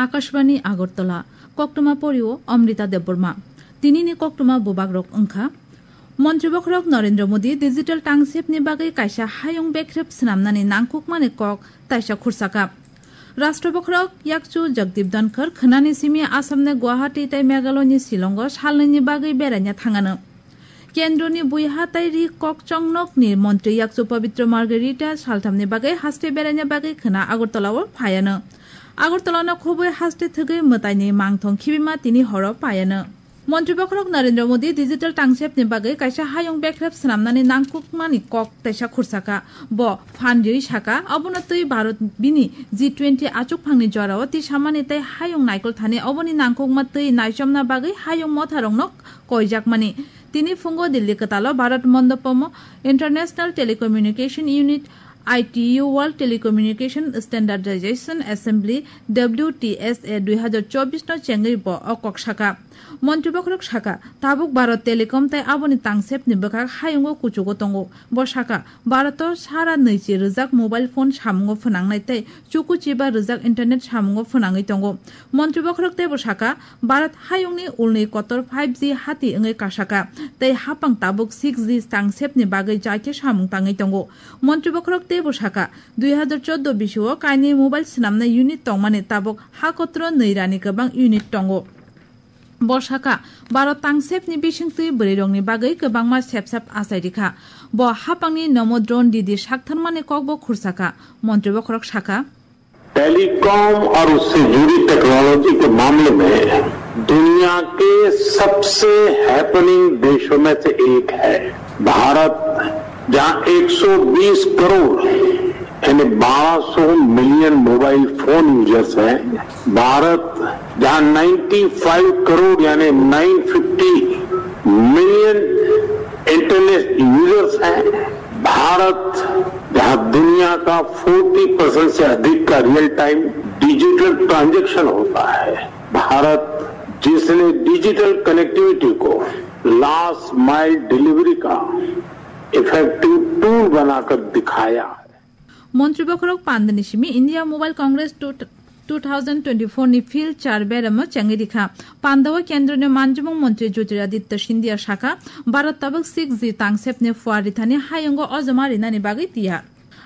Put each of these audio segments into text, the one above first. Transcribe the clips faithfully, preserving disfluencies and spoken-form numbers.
Akashbani Agartala, koktwma porio Amrita Debbarma. Tinini koktwma bubagrok wngkha: Montri bokhorok Narendra Modi digital tangsepni bagwi kaisa hayung bekrep swnamnani nangkukmani kok taisa khursaka. Rashtra bokhorok yakchu Jagdeep Dhankhar khwnani simi Assamni Guwahati tei Meghaloyni Shillongo salnwini bagwi beraina thangano. Kendroni buiha tei ri kok chongnokni montri yakchu Pabitra Margherita salthamni bagwi haste beraina bagwi khwna Agartalao phaiano. Agartalano khobwi haste thwgwi mwtaini mangthong khibima tini horo paiano. Montri bokhorok Narendra Modi digital tangsepni bagwi kaisa hayung bekrep swnamnani nangkukmani kok taisa khursaka. Bo phan riwi saka, obono twi Bharat bini G twenty achukphangni jorao tisamani tei hayung naikol thani oboni nangkukma twi naichomna bagwi hayung motharokno koijakmani. Tini phungo Delhi kwtalo Bharat Mandapamo International Telecommunication Unit, I T U, World Telecommunication Standardization Assembly, W T S A dui hazar chobbish no chengwi bo o kok saka. Montri bokhorok saka, tabuk Bharat Telecom tei aboni tangsepni bwkhak hayungo kuchugo tongo. Bo saka, Bharato sara nwichi rwjak mobile phone samungo phwnangnai tei chuku chiba rwjak internet samungo phwnangwi tongo. Montri bokhorok teibo saka, Bharat hayungni ulni kotor five G hati wngwi kasaka, tei hapang tabuk six G tangsepni bagwi jaikhe samung tangwi tongo. Montri bokhorok teibo saka, dui hazar chordo bisio kainwi mobile swnamnai unit tongmani tabuk ha kotoro nwi rani kwbang unit tongo. Bo saka, Bharat tangsepni bisingtwi bwrwirokni bagwi kwbangma sepsap achai rikha. Bo hapangni nomo drone didi saktharmani kokbo khursaka. Montri bokhorok saka, telecom और उससे जुड़ी टेक्नोलॉजी के मामले में दुनिया के सबसे हैपनिंग देशों में से एक है भारत, जहां एक सौ बीस करोड़ यानी बारह सौ मिलियन मोबाइल फोन यूजर्स हैं। भारत, जहां नाइंटी फ़ाइव करोड़ यानी nine fifty million internet users हैं। भारत, जहां दुनिया का फ़ोर्टी परसेंट से अधिक का रियल टाइम डिजिटल ट्रांजैक्शन होता है। भारत, जिसने डिजिटल कनेक्टिविटी को लास्ट माइल डिलीवरी का इफेक्टिव टूल बनाकर दिखाया है। Montri bokhorok pandani simi India Mobile Congress two, two thousand twenty-four ni field char beramo chengwi rikha. Pandao kendroni manjimung montri Jyotiraditya Scindia saka, Bharat tabuk six G tangsepni phuar rithani hayungo ojoma rinani bagwi tiyar.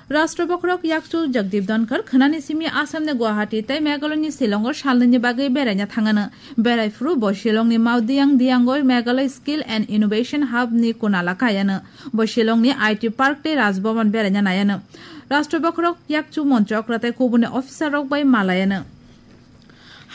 Rashtra bokhorok yakchu Jagdeep Dhankhar khwnani simi Assamni Guwahati tei Meghaloyni Shillongo salnwini bagwi beraina thangano. Berai phuru bo Shillongni Maodiang Diango Meghalaya Skill and Innovation Hub ni kunala kaiano. Bo Shillongni I T Park tei Raj Bhavan beraina naiano. Rashtra bokhorok yakchu montri okra tei kubuni officer rok bai malayano.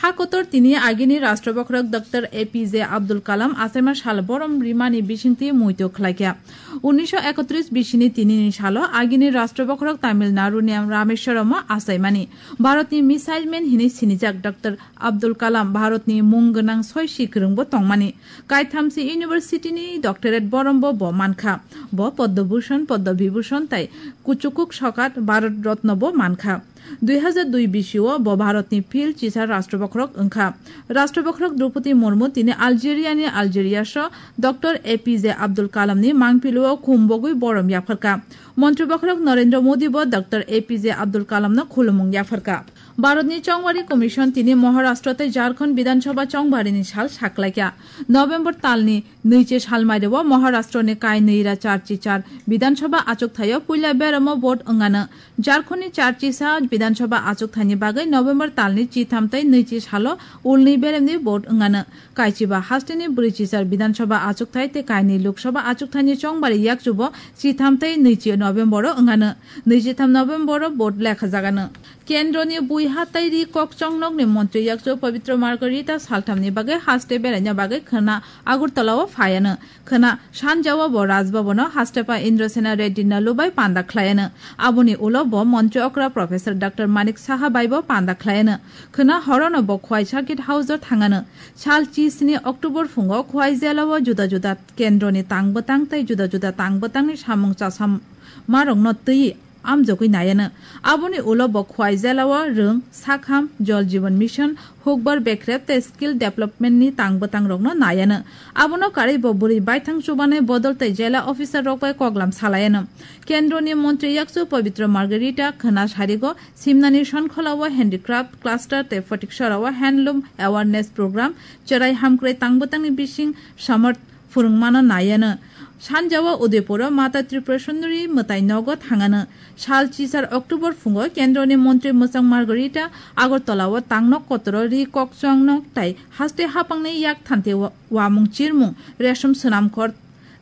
Ha kotor tini agini Rashtra bokhorok Doctor A P J Abdul Kalam achaima sal borom rimani bisingtwi muitu khlaikha. Unnisho ekotris bisini tinini salo agini Rashtra bokhorok Tamil Nadu ni Rameshwaram o achaimani. Bharatni missile man hinwi sinijak Doctor Abdul Kalam Bharatni mung gwnang soi si kwrwngbo tongmani. Kaithamsi university ni doctorate borombo bo mankha. Bo Padma Bhushan, Padma Vibhushan tei kuchukuk sokat Bharat Ratna bo mankha. Dui hazar dui bisio bo Bharatni field chisar Rashtra bokhorok wngkha. Rashtra bokhorok Droupadi Murmu tini Algeria ni Algeriaso Doctor A P J Abdul Kalam ni mangpilio khum bogwi borom yapharkha. Montri bokhorok Narendra Modi bo Doctor A P J Abdul Kalam no khulumung yapharkha. Bharatni Chongmari Commission tini Maharashtra tei Jharkhand Bidhan Sabha chongbarini sal saklaikha. November talni nwichi salmaireo Maharashtrani kainwi ra charchi char Bidhan Sabha achukthaio puila beramo vote wngano. Jharkhandni charchi sa Bidhan Sabha achukthaini bagwi November talni chitham tei nwichi salo ulni beremni vote wngano. Kaichiba hasteni brwichi char Bidhan Sabha achukthai tei kainwi Lok Sabha achukthaini chongbari yakchubo chitham tei nwichi November o wngano. Nwichitham November o vote lekhajagano. Kendroni buiha tei ri kok chongnokni montri yakchu Pabitra Margherita salthamni bagwi haste beraina bagwi khwna Agartala o phaiano. Khwna sanjao bo Raj Bhavan o hastepa Indrasena Reddy Nallu bai panda khlaiano. Aboni ulo bo montri okra Professor Doctor Manik Saha bai bo panda khlaiano. Khwna horono bo Khwai Circuit House o thangano. Sal chisni October phungo Khwai jela o juda juda kendroni tang bwtang tei juda juda tang bwtangni samung chasamarokno twi amjogwi naiano. Aboni ulo bo Khwai jelao rwng, sakham, Jal Jeevan Mission, hukbar bekrep tei skill development ni tang bwtang rokno naiano. Abono karwi bo bwrwi baithang chubanai bodol tei jela officer rok bai koklam salaiano. Kendroni montri yakchu Pabitra Margherita khwna sarigo simnani Sonkholao handicraft cluster tei Photiksarao handloom awareness program, cherai hamkrai tang bwtangni bising samarth phwrwngmano naiano. Sanjao Udaipuro Mata Tripura Sundari mwtai nogo thangano. Sal chisar October phungo Kendroni montri mwchang Margherita Agartalao tangnok kotoro ri kokchwng nok tai haste hapangni yak thante wa-, wamung chirmung resom swnamkhor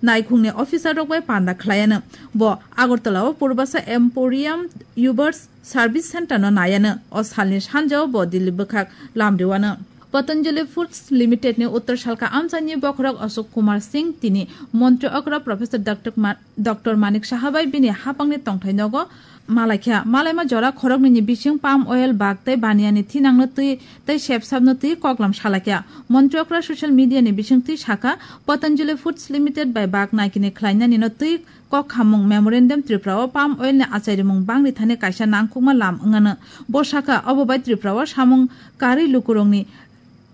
naikhungni officer rok bai panda khlaiano. Bo Agartalao Purbasa Emporium Ubers Service Center no naiano. O salni sanjao bo Delhi bwkhak lamriwano. Patanjali Foods Limited ni Uttar Salka amchaini bokhorok Ashok Kumar Singh tini montri okra Professor Doctor Ma-, Doctor Manik Saha bai bini hapangni tongthai nogo malaikha. Malaima jora khoroknwi ni bising palm oil, bak tei baniani thinangno twi tei sepsapno twi koklam salaikha. Montri okra social media ni bising twi sakha, Patanjali Foods Limited bai bak naikini khlainani no twi kok khamung memorandum Tripura o palm oil ni achairimung bangri thani kaisa nangkukma lam wngano. Bo sakha, obo bai Tripura o samung karwi lukurokni,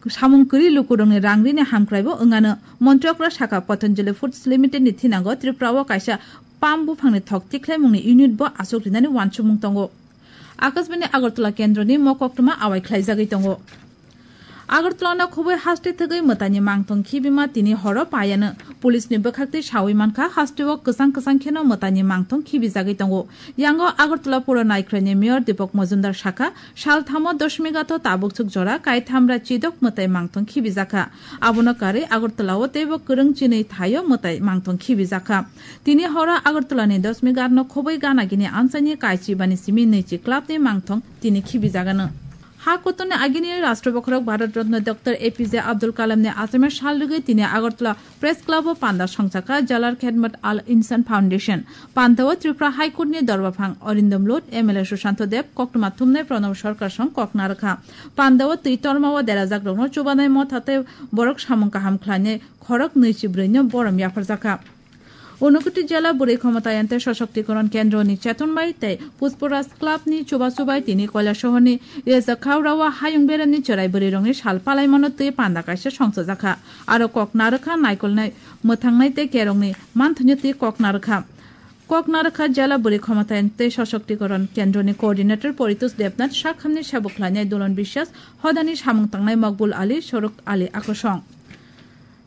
samung kwrwi lukurokni rang rini hamkraibo wngano. Montri okra sakha, Patanjali Foods Limited ni thinango Tripura o kaisa palm buphangni thok tikhlaimungni unit bo aswk rinani uansukmung tongo. Akashbani Agartala kendroni mo koktwma awai khlaijagwi tongo. Agartala no khobwi haste thwgwi mwtaini mangthong khibima tini horo paiano. Police ni bwkhaktwi sawi mankha, haste o kwchang kwchang kheno mwtaini mangthong khibijagwi tongo. Yango Agartala pura naikhroini Mayor Deepak Majumdar sakha, salthamo Dashmi Ghat o tabukchuk jora kaithamra chidok mwtai mangthong khibijakha. Abono karwi Agartala o teibo kwrwng chinwi thaio mwtai mangthong khibijakha. Tini horo Agartala ni Dashmi Ghat no khobwi gana gini amchaini kaichi bani simi nwichi club ni mangthong tini khibijagano. Ha kutung ni agini Rashtra bokhorok Bharat Ratna Doctor A P J Abdul Kalam ni achaiman sal rwgwi tini Agartala Press Club o panda songchakha Jalar Khedmat Al Insan Foundation. Panda o Tripura High Court ni dorbaphang Arindam Lut, M L A Sushanto Deb, koktwma thumnai Pranab Sarkar song kok narwkha. Panda o twi torma o derajak rokno chubanai motha tei borok samung kaham khlainai khorok nwichi brwi no borom yapharjakha. Unakoti Jela Bwrwi Khomotayante Soshoktikron Kendro ni cheton bai tei Pushparaj Club ni chubachu bai tini Kailasahar ni Reza Khaura o hayung berem ni cherai bwrwi rok ni sal palaimano twi panda kaisa songchajakha. Aro kok narwkha naikolnai mwthangnai tei kerong ni manthwino twi kok narwkha. Kok narwkha Jela Bwrwi Khomotayante Soshoktikron Kendro ni Coordinator Poritos Debnath, sakhamni sabo khlainai Dolon Biswas, hodani samung tangnai Mokbul Ali, Soruk Ali akosong.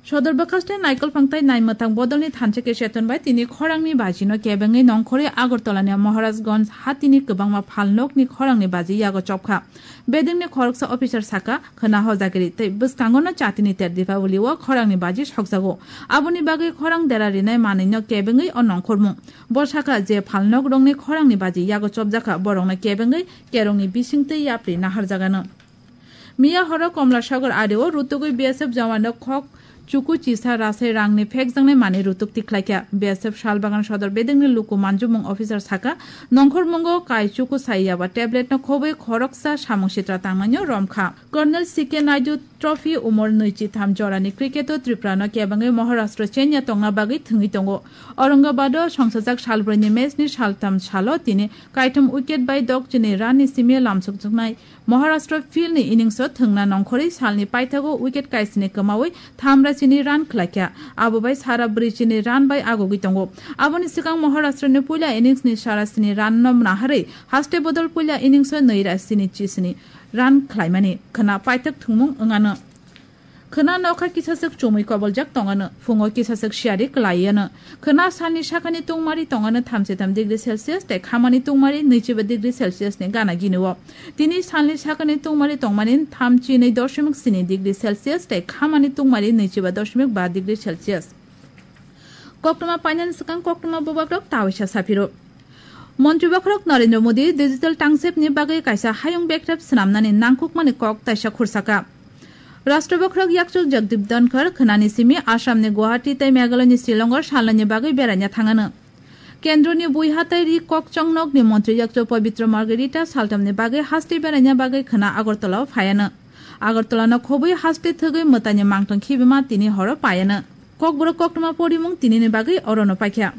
Sodor bwkhaste naikolphang tai naimwthang bodolni thansa khe cheton bai tini khorangni bajino kebengwi nongkhorwi Agartalani Maharajganj hatini kwbangma phalnokni khorangni baji yago chopkha. Bedengni khoroksa officer sakha, khwna hojagiri tei bwskangono chatini ter Deepavali o khorangni baji sokjago. Aboni bagwi khorang dera rinai manwino kebengwi o nongkhormung. Bo sakha je phalnokrokni khorangni baji yago chopjakha, borokno kebengwi kerongni bisingtwi yapri naharjagano. Miya horo Komla Sagar ari o rutugwi B S F jawano khok chuku chisa rasai rangni phekjaknai manwi rutuk tikhlaikha. B S F Salbagan Sodor bedengni luku manjumung officer sakha, nongkhormungo kai chuku saiyaba tablet no khobwi khoroksa samung sitra tangnaino romkha. Colonel C K Naidu Trophy umor nwichi tham jorani cricket o Tripura no kebengwi Maharashtra chenya tongna bagwi thwngwi tongo. Aurangabad o songsajak salbrwi ni match ni saltham salo tini kaitham wicket bai dok chini run ni simi lamsokjaknai Maharashtra field ni innings o thwngna nongkhorwi salni paithago wicket kaisini kwmawi thamra chini run khlaikha. Abo bai sara brwi chini run bai agogwi tongo. Aboni swkang Maharashtra ni puila innings ni sara sini run no naharwi haste bodol puila innings o nwi ra sini chisini run khlaimani khwna paithak thwngmung wngano. Khwna nokha kisaswk chumui koboljak tongano, phungo kisaswk siyari kwlaiano. Khwna salni sakani tungmari tongano thamchi tham degree Celsius tei khamani tungmari nwichiba degree Celsius ni gana gini o. Tini salni sakani tungmari tongmani thamchi nwi doshimik sini degree Celsius tei khamani tungmari nwichiba doshimik ba degree Celsius. Koktwma painani swkang koktwma bubagrok tawaisa saphiro. Montri bokhorok Narendra Modi digital tangsepni bagwi kaisa hayung bekrep swnamnani nangkukmani kok taisa khursakha. Rashtra bokhorok yakchuk Jagdeep Dhankhar khwnani simi Assamni Guwahati tei Meghalayani Shillongo salnani bagwi beraina thangano. Kendroni bui hatai ri kok chongnokni montri yakchuk Pabitra Margherita saltamni bagwi haste beraina bagwi khwna Agartalao phaiano. Agartalano khobwi haste thwgwi mwtaini mangtong khibima tini horo paiano. Kokborok koktwma porimung tinini bagwi orono paikha.